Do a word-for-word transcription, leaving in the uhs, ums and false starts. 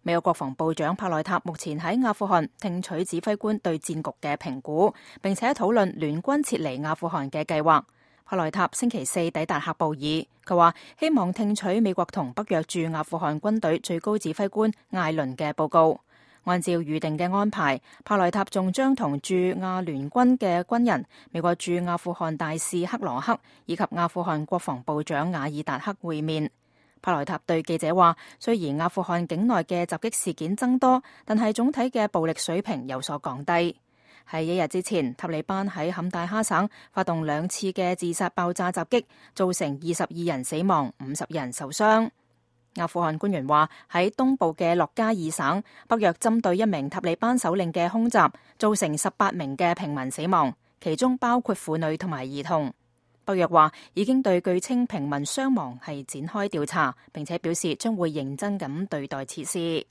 美國國防部長帕內塔目前喺阿富汗聽取指揮官對戰局嘅評估，並且討論聯軍撤離阿富汗嘅計劃。帕內塔星期四抵達喀布爾，佢話希望聽取美國同北約駐阿富汗軍隊最高指揮官艾倫嘅報告。按照預定嘅安排，帕內塔仲將同駐阿聯軍嘅軍人、美國駐阿富汗大使克羅克以及阿富汗國防部長瓦爾達克會面。帕內塔對記者話，雖然阿富汗境內嘅襲擊事件增多，但係總體嘅暴力水平有所降低。喺一日之前，塔利班喺坎大哈省發動兩次嘅自殺爆炸襲擊，造成二十二人死亡、五十人受傷。阿富汗官員話，喺東部嘅洛加爾省，北約針對一名塔利班首領嘅空襲，造成十八名嘅平民死亡，其中包括婦女同埋兒童。北約話已經對據稱平民傷亡係展開調查，並且表示將會認真咁對待此事。